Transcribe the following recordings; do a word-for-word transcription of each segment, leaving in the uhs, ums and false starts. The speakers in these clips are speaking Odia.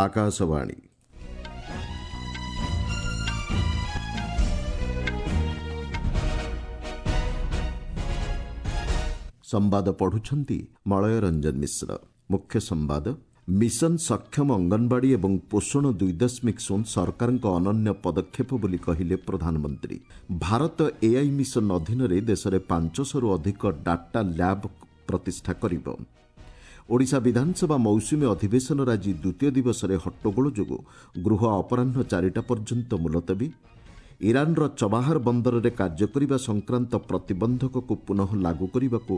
ଆକାଶବାଣୀ। ସମ୍ବାଦ ପଢୁଛନ୍ତି ମଳୟ ରଞ୍ଜନ ମିଶ୍ର। ମୁଖ୍ୟ ସମ୍ବାଦ। ମିଶନ ସକ୍ଷମ ଅଙ୍ଗନବାଡ଼ି ଏବଂ ପୋଷଣ ଦୁଇ ଦଶମିକ ଶୂନ ସରକାରଙ୍କ ଅନନ୍ୟ ପଦକ୍ଷେପ ବୋଲି କହିଲେ ପ୍ରଧାନମନ୍ତ୍ରୀ। ଭାରତ ଏଆଇ ମିଶନ ଅଧୀନରେ ଦେଶରେ ପାଞ୍ଚଶହରୁ ଅଧିକ ଡାଟା ଲ୍ୟାବ୍ ପ୍ରତିଷ୍ଠା କରିବ। ଓଡ଼ିଶା ବିଧାନସଭା ମୌସୁମୀ ଅଧିବେଶନର ଆଜି ଦ୍ୱିତୀୟ ଦିବସରେ ହଟ୍ଟଗୋଳ ଯୋଗୁଁ ଗୃହ ଅପରାହ୍ନ ଚାରିଟା ପର୍ଯ୍ୟନ୍ତ ମୁଲତବୀ। ଇରାନର ଚବାହାର ବନ୍ଦରରେ କାର୍ଯ୍ୟ କରିବା ସଂକ୍ରାନ୍ତ ପ୍ରତିବନ୍ଧକକୁ ପୁନଃ ଲାଗୁ କରିବାକୁ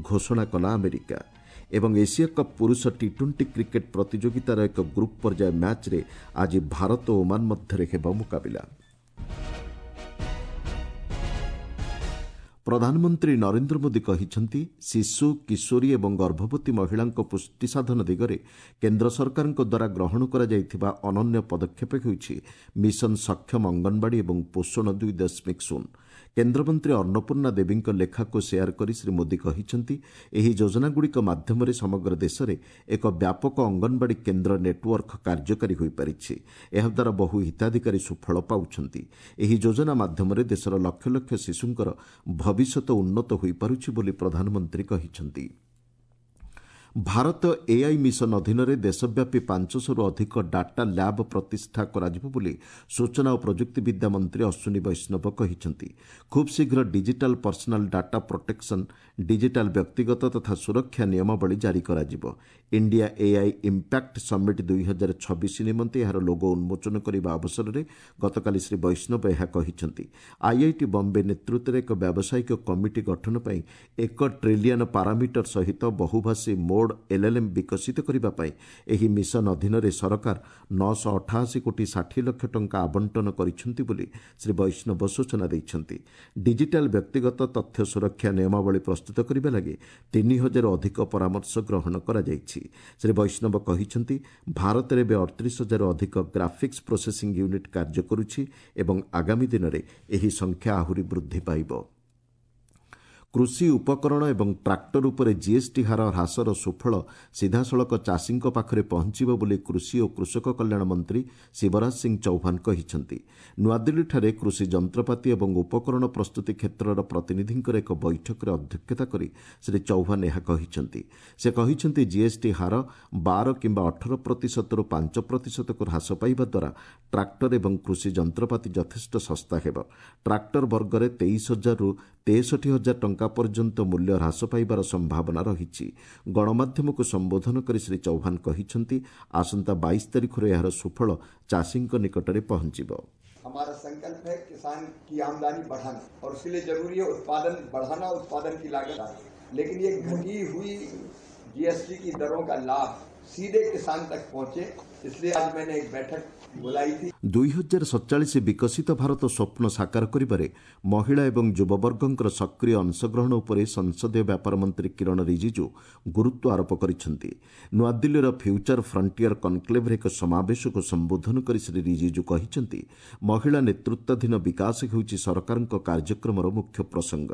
ଘୋଷଣା କଲା ଆମେରିକା। ଏବଂ ଏସିଆ କପ୍ ପୁରୁଷ ଟି ଟ୍ୱେଣ୍ଟି କ୍ରିକେଟ୍ ପ୍ରତିଯୋଗିତାର ଏକ ଗ୍ରୁପ୍ ପର୍ଯ୍ୟାୟ ମ୍ୟାଚ୍ରେ ଆଜି ଭାରତ ଓ ଓମାନ ମଧ୍ୟରେ ହେବ ମୁକାବିଲା। ପ୍ରଧାନମନ୍ତ୍ରୀ ନରେନ୍ଦ୍ର ମୋଦି କହିଛନ୍ତି, ଶିଶୁ, କିଶୋରୀ ଏବଂ ଗର୍ଭବତୀ ମହିଳାଙ୍କ ପୁଷ୍ଟି ସାଧନ ଦିଗରେ କେନ୍ଦ୍ର ସରକାରଙ୍କ ଦ୍ୱାରା ଗ୍ରହଣ କରାଯାଇଥିବା ଅନନ୍ୟ ପଦକ୍ଷେପ ହେଉଛି ମିଶନ ସକ୍ଷମ ଅଙ୍ଗନବାଡ଼ି ଏବଂ ପୋଷଣ ଦୁଇ ଦଶମିକ ଶୂନ। କେନ୍ଦ୍ରମନ୍ତ୍ରୀ ଅନ୍ନପୂର୍ଣ୍ଣା ଦେବୀଙ୍କ ଲେଖାକୁ ସେୟାର କରି ଶ୍ରୀ ମୋଦି କହିଛନ୍ତି, ଏହି ଯୋଜନାଗୁଡ଼ିକ ମାଧ୍ୟମରେ ସମଗ୍ର ଦେଶରେ ଏକ ବ୍ୟାପକ ଅଙ୍ଗନବାଡ଼ି କେନ୍ଦ୍ର ନେଟୱର୍କ କାର୍ଯ୍ୟକାରୀ ହୋଇପାରିଛି। ଏହାଦ୍ୱାରା ବହୁ ହିତାଧିକାରୀ ସୁଫଳ ପାଉଛନ୍ତି। ଏହି ଯୋଜନା ମାଧ୍ୟମରେ ଦେଶର ଲକ୍ଷ ଲକ୍ଷ ଶିଶୁଙ୍କର ଭବିଷ୍ୟତ ଉନ୍ନତ ହୋଇପାରୁଛି ବୋଲି ପ୍ରଧାନମନ୍ତ୍ରୀ କହିଛନ୍ତି। ଭାରତ ଏଆଇ ମିଶନ ଅଧୀନରେ ଦେଶବ୍ୟାପୀ ପାଞ୍ଚଶହରୁ ଅଧିକ ଡାଟା ଲ୍ୟାବ୍ ପ୍ରତିଷ୍ଠା କରାଯିବ ବୋଲି ସୂଚନା ଓ ପ୍ରଯୁକ୍ତିବିଦ୍ୟା ମନ୍ତ୍ରୀ ଅଶ୍ୱିନୀ ବୈଷ୍ଣବ କହିଛନ୍ତି। ଖୁବ୍ ଶୀଘ୍ର digital personal data protection, digital ବ୍ୟକ୍ତିଗତ ତଥା ସୁରକ୍ଷା ନିୟମାବଳୀ ଜାରି କରାଯିବ। ଇଣ୍ଡିଆ ଏଆଇ ଇମ୍ପାକ୍ଟ ସମିଟ୍ ଦୁଇ ହଜାର ଛବିଶ ନିମନ୍ତେ ଏହାର ଲୋଗୋ ଉନ୍ମୋଚନ କରିବା ଅବସରରେ ଗତକାଲି ଶ୍ରୀ ବୈଷ୍ଣବ ଏହା କହିଛନ୍ତି। ଆଇଆଇଟି ବମ୍ବେ ନେତୃତ୍ୱରେ ଏକ ବ୍ୟାବସାୟିକ କମିଟି ଗଠନ ପାଇଁ ଏକ ଟ୍ରିଲିୟନ ପାରାମିଟର ସହିତ ବହୁଭାଷୀ ମୋଡ୍ ଏଲ୍ଏଲ୍ଏମ୍ ବିକଶିତ କରିବା ପାଇଁ ଏହି ମିଶନ ଅଧୀନରେ ସରକାର ନଅଶହ ଅଠାଅଶୀ କୋଟି ଷାଠିଏ ଲକ୍ଷ ଟଙ୍କା ଆବଣ୍ଟନ କରିଛନ୍ତି ବୋଲି ଶ୍ରୀ ବୈଷ୍ଣବ ସୂଚନା ଦେଇଛନ୍ତି। ଡିଜିଟାଲ ବ୍ୟକ୍ତିଗତ ତଥ୍ୟ ସୁରକ୍ଷା ନିୟମାବଳୀ ପ୍ରସ୍ତୁତ କରିବା ଲାଗି ତିନି ହଜାରରୁ ଅଧିକ ପରାମର୍ଶ ଗ୍ରହଣ କରାଯାଇଛି। ଶ୍ରୀ ବୈଷ୍ଣବ କହିଛନ୍ତି, ଭାରତରେ ଏବେ ଅଠତିରିଶ ହଜାରରୁ ଅଧିକ ଗ୍ରାଫିକ୍ସ ପ୍ରୋସେସିଂ ୟୁନିଟ୍ କାର୍ଯ୍ୟ କରୁଛି ଏବଂ ଆଗାମୀ ଦିନରେ ଏହି ସଂଖ୍ୟା ଆହୁରି ବୃଦ୍ଧି ପାଇବ। କୃଷି ଉପକରଣ ଏବଂ ଟ୍ରାକ୍ଟର ଉପରେ ଜିଏସ୍ଟି ହାର ହ୍ରାସର ସୁଫଳ ସିଧାସଳଖ ଚାଷୀଙ୍କ ପାଖରେ ପହଞ୍ଚିବ ବୋଲି କୃଷି ଓ କୃଷକ କଲ୍ୟାଣ ମନ୍ତ୍ରୀ ଶିବରାଜ ସିଂ ଚୌହାନ କହିଛନ୍ତି। ନୂଆଦିଲ୍ଲୀଠାରେ କୃଷି ଯନ୍ତ୍ରପାତି ଏବଂ ଉପକରଣ ପ୍ରସ୍ତୁତି କ୍ଷେତ୍ରର ପ୍ରତିନିଧିଙ୍କର ଏକ ବୈଠକରେ ଅଧ୍ୟକ୍ଷତା କରି ଶ୍ରୀ ଚୌହାନ ଏହା କହିଛନ୍ତି। ସେ କହିଛନ୍ତି, ଜିଏସ୍ଟି ହାର ବାର କିମ୍ବା ଅଠର ପ୍ରତିଶତରୁ ପାଞ୍ଚ ପ୍ରତିଶତକୁ ହ୍ରାସ ପାଇବା ଦ୍ୱାରା ଟ୍ରାକ୍ଟର ଏବଂ କୃଷି ଯନ୍ତ୍ରପାତି ଯଥେଷ୍ଟ ଶସ୍ତା ହେବ। ଟ୍ରାକ୍ଟର ବର୍ଗରେ ତେଇଶ ହଜାରରୁ ତେଷଠି ହଜାର ଟଙ୍କା ପର୍ଯ୍ୟନ୍ତ ମୂଲ୍ୟ ହ୍ରାସ ପାଇବାର ସମ୍ଭାବନା ରହିଛି। ଗଣମାଧ୍ୟମକୁ ସମ୍ବୋଧନ କରି ଶ୍ରୀ ଚୌହାନ କହିଛନ୍ତି, ଆସନ୍ତା ବାଇଶ ତାରିଖରୁ ଏହାର ସୁଫଳ ଚାଷୀଙ୍କ ନିକଟରେ ପହଞ୍ଚିବ। हमारा संकल्प है किसान की आमदनी बढ़ाना और उसके लिए जरूरी है उत्पादन बढ़ाना, उत्पादन की लागत, लेकिन ये घटी हुई जीएसटी की दरों का लाभ सीधे किसान तक पहुंचे, इसलिए आज मैंने एक बैठक बुलाई थी। ଦୁଇ ହଜାର ସତଚାଳିଶ ବିକଶିତ ଭାରତ ସ୍ୱପ୍ନ ସାକାର କରିବାରେ ମହିଳା ଏବଂ ଯୁବବର୍ଗଙ୍କର ସକ୍ରିୟ ଅଂଶଗ୍ରହଣ ଉପରେ ସଂସଦୀୟ ବ୍ୟାପାର ମନ୍ତ୍ରୀ କିରଣ ରିଜିଜୁ ଗୁରୁତ୍ୱ ଆରୋପ କରିଛନ୍ତି। ନୂଆଦିଲ୍ଲୀର ଫ୍ୟୁଚର ଫ୍ରଣ୍ଟିୟର କନକ୍ଲେଭରେ ଏକ ସମାବେଶକୁ ସମ୍ବୋଧନ କରି ଶ୍ରୀ ରିଜିଜୁ କହିଛନ୍ତି, ମହିଳା ନେତୃତ୍ୱାଧୀନ ବିକାଶ ହେଉଛି ସରକାରଙ୍କ କାର୍ଯ୍ୟକ୍ରମର ମୁଖ୍ୟ ପ୍ରସଙ୍ଗ।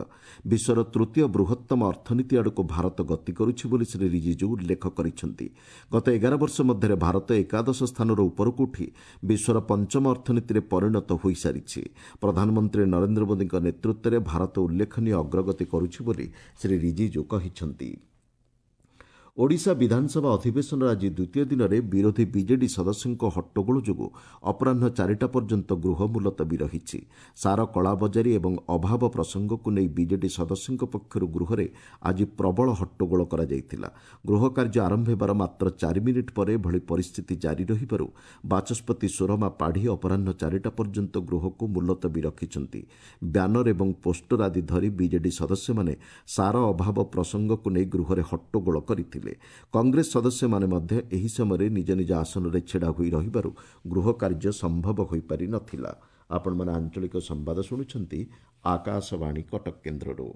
ବିଶ୍ୱର ତୃତୀୟ ବୃହତ୍ତମ ଅର୍ଥନୀତି ଆଡ଼କୁ ଭାରତ ଗତି କରୁଛି ବୋଲି ଶ୍ରୀ ରିଜିଜୁ ଉଲ୍ଲେଖ କରିଛନ୍ତି। ଗତ ଏଗାର ବର୍ଷ ମଧ୍ୟରେ ଭାରତ ଏକାଦଶ ସ୍ଥାନରୁ ଉପରକୁ ଉଠି ବିଶ୍ୱର ପଞ୍ଚମ ଅର୍ଥନୀତିରେ ପରିଣତ ହୋଇସାରିଛି। ପ୍ରଧାନମନ୍ତ୍ରୀ ନରେନ୍ଦ୍ର ମୋଦିଙ୍କ ନେତୃତ୍ୱରେ ଭାରତ ଉଲ୍ଲେଖନୀୟ ଅଗ୍ରଗତି କରୁଛି ବୋଲି ଶ୍ରୀ ରିଜିଜୁ କହିଛନ୍ତି। ଓଡ଼ିଶା ବିଧାନସଭା ଅଧିବେଶନର ଆଜି ଦ୍ୱିତୀୟ ଦିନରେ ବିରୋଧୀ ବିଜେଡି ସଦସ୍ୟଙ୍କ ହଟ୍ଟଗୋଳ ଯୋଗୁଁ ଅପରାହ୍ନ ଚାରିଟା ପର୍ଯ୍ୟନ୍ତ ଗୃହ ମୁଲତବୀ ରହିଛି। ସାର କଳାବଜାରୀ ଏବଂ ଅଭାବ ପ୍ରସଙ୍ଗକୁ ନେଇ ବିଜେଡି ସଦସ୍ୟଙ୍କ ପକ୍ଷରୁ ଗୃହରେ ଆଜି ପ୍ରବଳ ହଟ୍ଟଗୋଳ କରାଯାଇଥିଲା। ଗୃହ କାର୍ଯ୍ୟ ଆରମ୍ଭ ହେବାର ମାତ୍ର ଚାରି ମିନିଟ୍ ପରେ ଏଭଳି ପରିସ୍ଥିତି ଜାରି ରହିବାରୁ ବାଚସ୍ପତି ସୁରମା ପାଢ଼ୀ ଅପରାହ୍ନ ଚାରିଟା ପର୍ଯ୍ୟନ୍ତ ଗୃହକୁ ମୁଲତବୀ ରଖିଛନ୍ତି। ବ୍ୟାନର ଏବଂ ପୋଷ୍ଟର ଆଦି ଧରି ବିଜେଡି ସଦସ୍ୟମାନେ ସାର ଅଭାବ ପ୍ରସଙ୍ଗକୁ ନେଇ ଗୃହରେ ହଟ୍ଟଗୋଳ କରିଥିଲେ। କଂଗ୍ରେସ ସଦସ୍ୟମାନେ ମଧ୍ୟ ଏହି ସମୟରେ ନିଜ ନିଜ ଆସନରେ ଛିଡ଼ା ହୋଇ ରହିବାରୁ ଗୃହ କାର୍ଯ୍ୟ ସମ୍ଭବ ହୋଇପାରି ନଥିଲା। ଆପଣମାନେ ଆଞ୍ଚଳିକ ସମ୍ବାଦ ଶୁଣୁଛନ୍ତି ଆକାଶବାଣୀ କଟକ କେନ୍ଦ୍ରରୁ।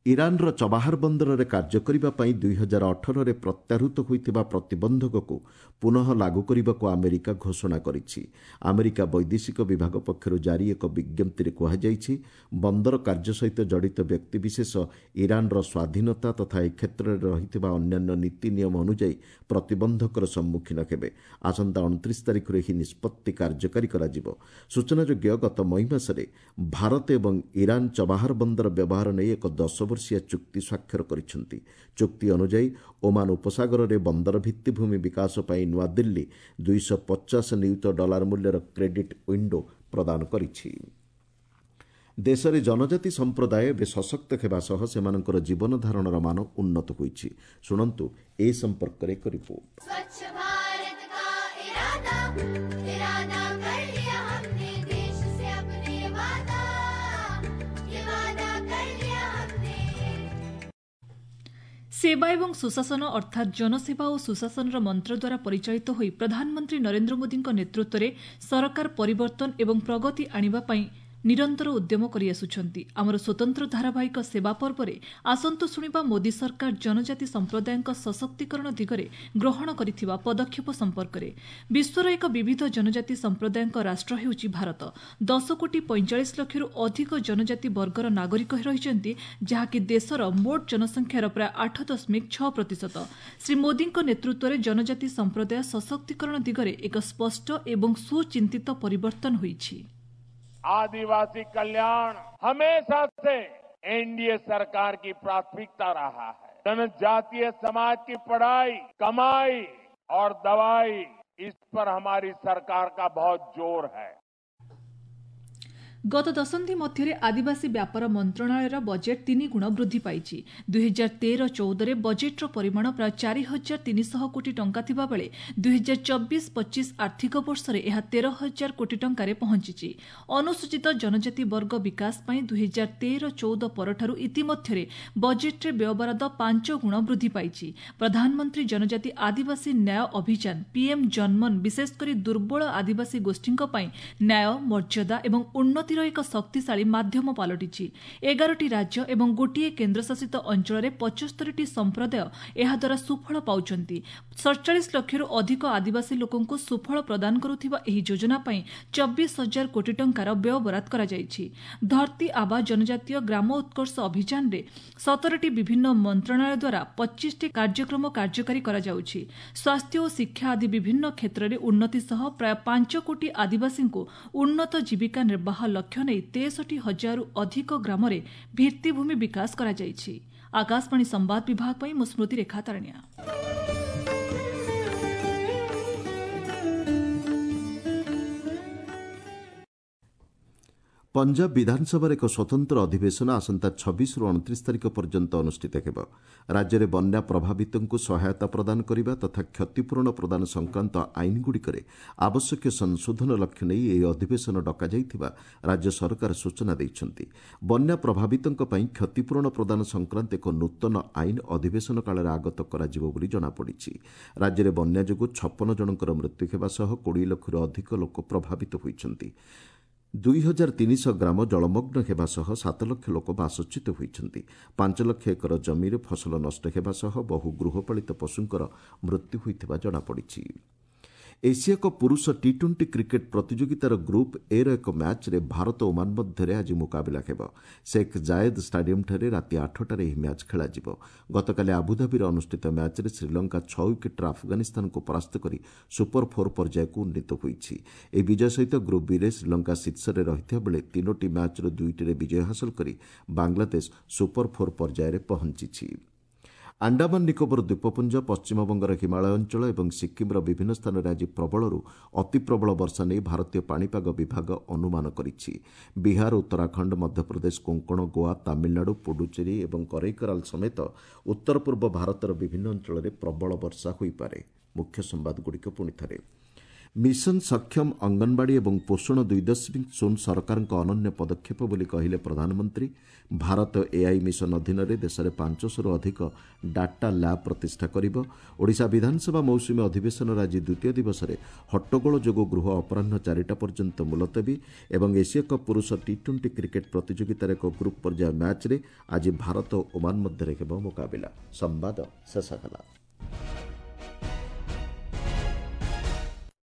ଇରାନର ଚବାହାର ବନ୍ଦରରେ କାର୍ଯ୍ୟ କରିବା ପାଇଁ ଦୁଇ ହଜାର ଅଠରରେ ପ୍ରତ୍ୟାହୃତ ହୋଇଥିବା ପ୍ରତିବନ୍ଧକକୁ ପୁନଃ ଲାଗୁ କରିବାକୁ ଆମେରିକା ଘୋଷଣା କରିଛି। ଆମେରିକା ବୈଦେଶିକ ବିଭାଗ ପକ୍ଷରୁ ଜାରି ଏକ ବିଜ୍ଞପ୍ତିରେ କୁହାଯାଇଛି, ବନ୍ଦର କାର୍ଯ୍ୟ ସହିତ ଜଡ଼ିତ ବ୍ୟକ୍ତିବିଶେଷ ଇରାନର ସ୍ୱାଧୀନତା ତଥା ଏ କ୍ଷେତ୍ରରେ ରହିଥିବା ଅନ୍ୟାନ୍ୟ ନୀତି ନିୟମ ଅନୁଯାୟୀ ପ୍ରତିବନ୍ଧକର ସମ୍ମୁଖୀନ ହେବେ। ଆସନ୍ତା ଅଣତିରିଶ ତାରିଖରୁ ଏହି ନିଷ୍ପତ୍ତି କାର୍ଯ୍ୟକାରୀ କରାଯିବ। ସୂଚନାଯୋଗ୍ୟ, ଗତ ମଇ ମାସରେ ଭାରତ ଏବଂ ଇରାନ ଚବାହାର ବନ୍ଦର ବ୍ୟବହାର ନେଇ ଏକ ଦଶ ବର୍ଷିଆ ଚୁକ୍ତି ସ୍ୱାକ୍ଷର କରିଛନ୍ତି। ଚୁକ୍ତି ଅନୁଯାୟୀ ଓମାନ ଉପସାଗରରେ ବନ୍ଦର ଭିତ୍ତିଭୂମି ବିକାଶ ପାଇଁ ନୂଆଦିଲ୍ଲୀ ଦୁଇଶହ ପଚାଶ ନିୟୁତ ଡଲାର ମୂଲ୍ୟର କ୍ରେଡିଟ୍ ୱିଣ୍ଡୋ ପ୍ରଦାନ କରିଛି। ଦେଶରେ ଜନଜାତି ସମ୍ପ୍ରଦାୟ ଏବେ ସଶକ୍ତ ହେବା ସହ ସେମାନଙ୍କର ଜୀବନଧାରଣର ମାନ ଉନ୍ନତ ହୋଇଛି। ଶୁଣନ୍ତୁ ଏ ସମ୍ପର୍କରେ ଏକ ରିପୋର୍ଟ। स्वच्छ भारत का इरादा इरादा कर लिया हमने देश से अपने वादा ये वादा कर लिया हमने। ସେବା ଏବଂ ସୁଶାସନ ଅର୍ଥାତ୍ ଜନସେବା ଓ ସୁଶାସନର ମନ୍ତ୍ର ଦ୍ୱାରା ପରିଚାଳିତ ହୋଇ ପ୍ରଧାନମନ୍ତ୍ରୀ ନରେନ୍ଦ୍ର ମୋଦିଙ୍କ ନେତୃତ୍ୱରେ ସରକାର ପରିବର୍ତ୍ତନ ଏବଂ ପ୍ରଗତି ଆଣିବା ପାଇଁ ନିରନ୍ତର ଉଦ୍ୟମ କରିଆସୁଛନ୍ତି। ଆମର ସ୍ୱତନ୍ତ୍ର ଧାରାବାହିକ ସେବା ପର୍ବରେ ଆସନ୍ତୁ ଶୁଣିବା ମୋଦି ସରକାର ଜନଜାତି ସମ୍ପ୍ରଦାୟଙ୍କ ସଶକ୍ତିକରଣ ଦିଗରେ ଗ୍ରହଣ କରିଥିବା ପଦକ୍ଷେପ ସମ୍ପର୍କରେ। ବିଶ୍ୱର ଏକ ବିବିଧ ଜନଜାତି ସମ୍ପ୍ରଦାୟଙ୍କ ରାଷ୍ଟ୍ର ହେଉଛି ଭାରତ। ଦଶ କୋଟି ପଇଁଚାଳିଶ ଲକ୍ଷରୁ ଅଧିକ ଜନଜାତି ବର୍ଗର ନାଗରିକ ରହିଛନ୍ତି, ଯାହାକି ଦେଶର ମୋଟ ଜନସଂଖ୍ୟାର ପ୍ରାୟ ଆଠ ଦଶମିକ ଛଅ ପ୍ରତିଶତ। ଶ୍ରୀ ମୋଦିଙ୍କ ନେତୃତ୍ୱରେ ଜନଜାତି ସମ୍ପ୍ରଦାୟ ସଶକ୍ତିକରଣ ଦିଗରେ ଏକ ସ୍ପଷ୍ଟ ଏବଂ ସୁଚିନ୍ତିତ ପରିବର୍ତ୍ତନ ହୋଇଛି। आदिवासी कल्याण हमेशा से एनडीए सरकार की प्राथमिकता रहा है। जनजातीय समाज की पढ़ाई, कमाई और दवाई, इस पर हमारी सरकार का बहुत जोर है। ଗତ ଦଶନ୍ଧି ମଧ୍ୟରେ ଆଦିବାସୀ ବ୍ୟାପାର ମନ୍ତ୍ରଣାଳୟର ବଜେଟ୍ ତିନି ଗୁଣ ବୃଦ୍ଧି ପାଇଛି। ଦୁଇହଜାର ତେର ଚଉଦରେ ବଜେଟ୍ର ପରିମାଣ ପ୍ରାୟ ଚାରି ହଜାର ତିନିଶହ କୋଟି ଟଙ୍କା ଥିବାବେଳେ ଦୁଇହଜାର ଚବିଶ ପଚିଶ ଆର୍ଥିକ ବର୍ଷରେ ଏହା ତେର ହଜାର କୋଟି ଟଙ୍କାରେ ପହଞ୍ଚିଛି। ଅନୁସୂଚିତ ଜନଜାତି ବର୍ଗ ବିକାଶ ପାଇଁ ଦୁଇହଜାର ତେର ଚଉଦ ପରଠାରୁ ଇତିମଧ୍ୟରେ ବଜେଟ୍ରେ ବ୍ୟୟବରାଦ ପାଞ୍ଚ ଗୁଣ ବୃଦ୍ଧି ପାଇଛି। ପ୍ରଧାନମନ୍ତ୍ରୀ ଜନଜାତି ଆଦିବାସୀ ନ୍ୟାୟ ଅଭିଯାନ ପିଏମ୍ ଜନ୍ମନ ବିଶେଷ କରି ଦୁର୍ବଳ ଆଦିବାସୀ ଗୋଷ୍ଠୀଙ୍କ ପାଇଁ ନ୍ୟାୟ, ମର୍ଯ୍ୟାଦା ଏବଂ ଉନ୍ନତିର ଏକ ଶକ୍ତିଶାଳୀ ମାଧ୍ୟମ ପାଲଟିଛି। ଏଗାରଟି ରାଜ୍ୟ ଏବଂ ଗୋଟିଏ କେନ୍ଦ୍ରଶାସିତ ଅଞ୍ଚଳରେ ପଞ୍ଚସ୍ତରୀଟି ସମ୍ପ୍ରଦାୟ ଏହାଦ୍ୱାରା ସୁଫଳ ପାଉଛନ୍ତି। ସଡ଼ଚାଳିଶ ଲକ୍ଷରୁ ଅଧିକ ଆଦିବାସୀ ଲୋକଙ୍କୁ ସୁଫଳ ପ୍ରଦାନ କରୁଥିବା ଏହି ଯୋଜନା ପାଇଁ ଚବିଶ ହଜାର କୋଟି ଟଙ୍କାର ବ୍ୟୟବରାଦ କରାଯାଇଛି। ଧରତୀ ଆବା ଜନଜାତୀୟ ଗ୍ରାମ ଉତ୍କର୍ଷ ଅଭିଯାନରେ ସତରଟି ବିଭିନ୍ନ ମନ୍ତ୍ରଣାଳୟ ଦ୍ୱାରା ପଚିଶଟି କାର୍ଯ୍ୟକ୍ରମ କାର୍ଯ୍ୟକାରୀ କରାଯାଉଛି। ସ୍ୱାସ୍ଥ୍ୟ ଓ ଶିକ୍ଷା ଆଦି ବିଭିନ୍ନ କ୍ଷେତ୍ରରେ ଉନ୍ନତି ସହ ପ୍ରାୟ ପାଞ୍ଚ କୋଟି ଆଦିବାସୀଙ୍କୁ ଉନ୍ନତ ଜୀବିକା ନିର୍ବାହ ଲକ୍ଷ୍ୟ ନେଇ ତେଷଠି ହଜାରରୁ ଅଧିକ ଗ୍ରାମରେ ଭିତ୍ତିଭୂମି ବିକାଶ କରାଯାଇଛି। ଆକାଶବାଣୀ ସମ୍ବାଦ ବିଭାଗ ପାଇଁ ମୁଁ ସ୍ମୃତିରେଖା ତାରଣିଆ। ପଞ୍ଜାବ ବିଧାନସଭାର ଏକ ସ୍ୱତନ୍ତ୍ର ଅଧିବେଶନ ଆସନ୍ତା ଛବିଶରୁ ଅଣତିରିଶ ତାରିଖ ପର୍ଯ୍ୟନ୍ତ ଅନୁଷ୍ଠିତ ହେବ। ରାଜ୍ୟରେ ବନ୍ୟା ପ୍ରଭାବିତଙ୍କୁ ସହାୟତା ପ୍ରଦାନ କରିବା ତଥା କ୍ଷତିପୂରଣ ପ୍ରଦାନ ସଂକ୍ରାନ୍ତ ଆଇନଗୁଡ଼ିକରେ ଆବଶ୍ୟକୀୟ ସଂଶୋଧନ ଲକ୍ଷ୍ୟ ନେଇ ଏହି ଅଧିବେଶନ ଡକାଯାଇଥିବା ରାଜ୍ୟ ସରକାର ସୂଚନା ଦେଇଛନ୍ତି। ବନ୍ୟା ପ୍ରଭାବିତଙ୍କ ପାଇଁ କ୍ଷତିପୂରଣ ପ୍ରଦାନ ସଂକ୍ରାନ୍ତ ଏକ ନୂତନ ଆଇନ ଅଧିବେଶନ କାଳରେ ଆଗତ କରାଯିବ ବୋଲି ଜଣାପଡ଼ିଛି। ରାଜ୍ୟରେ ବନ୍ୟା ଯୋଗୁଁ ଛପନ ଜଣଙ୍କର ମୃତ୍ୟୁ ହେବା ସହ କୋଡ଼ିଏ ଲକ୍ଷରୁ ଅଧିକ ଲୋକ ପ୍ରଭାବିତ ହୋଇଛନ୍ତି। ଦୁଇ ହଜାର ତିନିଶହ ଗ୍ରାମ ଜଳମଗ୍ନ ହେବା ସହ ସାତ ଲକ୍ଷ ଲୋକ ବାସଚ୍ୟୁତ ହୋଇଛନ୍ତି। ପାଞ୍ଚ ଲକ୍ଷ ଏକର ଜମିରେ ଫସଲ ନଷ୍ଟ ହେବା ସହ ବହୁ ଗୃହପାଳିତ ପଶୁଙ୍କର ମୃତ୍ୟୁ ହୋଇଥିବା ଜଣାପଡ଼ିଛି। ଏସିଆ କପ୍ ପୁରୁଷ ଟି ଟ୍ୱେଣ୍ଟି କ୍ରିକେଟ୍ ପ୍ରତିଯୋଗିତାର ଗ୍ରୁପ୍ ଏର ଏକ ମ୍ୟାଚ୍ରେ ଭାରତ ଓମାନ ମଧ୍ୟରେ ଆଜି ମୁକାବିଲା ହେବ। ଶେଖ୍ ଜାଏଦ୍ ଷ୍ଟାଡିୟମ୍ଠାରେ ରାତି ଆଠଟାରେ ଏହି ମ୍ୟାଚ୍ ଖେଳାଯିବ। ଗତକାଲି ଆବୁଧାବିରେ ଅନୁଷ୍ଠିତ ମ୍ୟାଚ୍ରେ ଶ୍ରୀଲଙ୍କା ଛଅ ୱିକେଟ୍ରେ ଆଫଗାନିସ୍ତାନକୁ ପରାସ୍ତ କରି ସୁପର ଫୋର୍ ପର୍ଯ୍ୟାୟକୁ ଉନ୍ନୀତ ହୋଇଛି। ଏହି ବିଜୟ ସହିତ ଗ୍ରୁପ୍ ବିରେ ଶ୍ରୀଲଙ୍କା ଶୀର୍ଷରେ ରହିଥିବା ବେଳେ ତିନୋଟି ମ୍ୟାଚ୍ରୁ ଦୁଇଟିରେ ବିଜୟ ହାସଲ କରି ବାଂଲାଦେଶ ସୁପର ଫୋର୍ ପର୍ଯ୍ୟାୟରେ ପହଞ୍ଚିଛି। ଆଣ୍ଡାମାନ ନିକୋବର ଦ୍ୱୀପପୁଞ୍ଜ, ପଶ୍ଚିମବଙ୍ଗର ହିମାଳୟ ଅଞ୍ଚଳ ଏବଂ ସିକ୍କିମ୍ର ବିଭିନ୍ନ ସ୍ଥାନରେ ଆଜି ପ୍ରବଳରୁ ଅତିପ୍ରବଳ ବର୍ଷା ନେଇ ଭାରତୀୟ ପାଣିପାଗ ବିଭାଗ ଅନୁମାନ କରିଛି। ବିହାର, ଉତ୍ତରାଖଣ୍ଡ, ମଧ୍ୟପ୍ରଦେଶ, କୋଙ୍କଣ, ଗୋଆ, ତାମିଲନାଡୁ, ପୁଡୁଚେରୀ ଏବଂ କରେଇକରାଲ ସମେତ ଉତ୍ତର ପୂର୍ବ ଭାରତର ବିଭିନ୍ନ ଅଞ୍ଚଳରେ ପ୍ରବଳ ବର୍ଷା ହୋଇପାରେ। ମୁଖ୍ୟ ସମ୍ବାଦଗୁଡ଼ିକ ପୁଣିଥରେ। ମିଶନ ସକ୍ଷମ ଅଙ୍ଗନବାଡ଼ି ଏବଂ ପୋଷଣ ଦୁଇ ଦଶମିକ ଶୂନ ସରକାରଙ୍କ ଅନନ୍ୟ ପଦକ୍ଷେପ ବୋଲି କହିଲେ ପ୍ରଧାନମନ୍ତ୍ରୀ। ଭାରତ ଏଆଇ ମିଶନ ଅଧୀନରେ ଦେଶରେ ପାଞ୍ଚଶହରୁ ଅଧିକ ଡାଟା ଲ୍ୟାବ୍ ପ୍ରତିଷ୍ଠା କରିବ। ଓଡ଼ିଶା ବିଧାନସଭା ମୌସୁମୀ ଅଧିବେଶନର ଆଜି ଦ୍ୱିତୀୟ ଦିବସରେ ହଟ୍ଟଗୋଳ ଯୋଗୁଁ ଗୃହ ଅପରାହ୍ନ ଚାରିଟା ପର୍ଯ୍ୟନ୍ତ ମୁଲତବୀ। ଏବଂ ଏସୀୟ କପ୍ ପୁରୁଷ ଟି ଟ୍ୱେଣ୍ଟି କ୍ରିକେଟ୍ ପ୍ରତିଯୋଗିତାର ଏକ ଗ୍ରୁପ୍ ପର୍ଯ୍ୟାୟ ମ୍ୟାଚ୍ରେ ଆଜି ଭାରତ ଓ ଓମାନ ମଧ୍ୟରେ ହେବ ମୁକାବିଲା। ସମ୍ବାଦ ଶେଷ ହେଲା।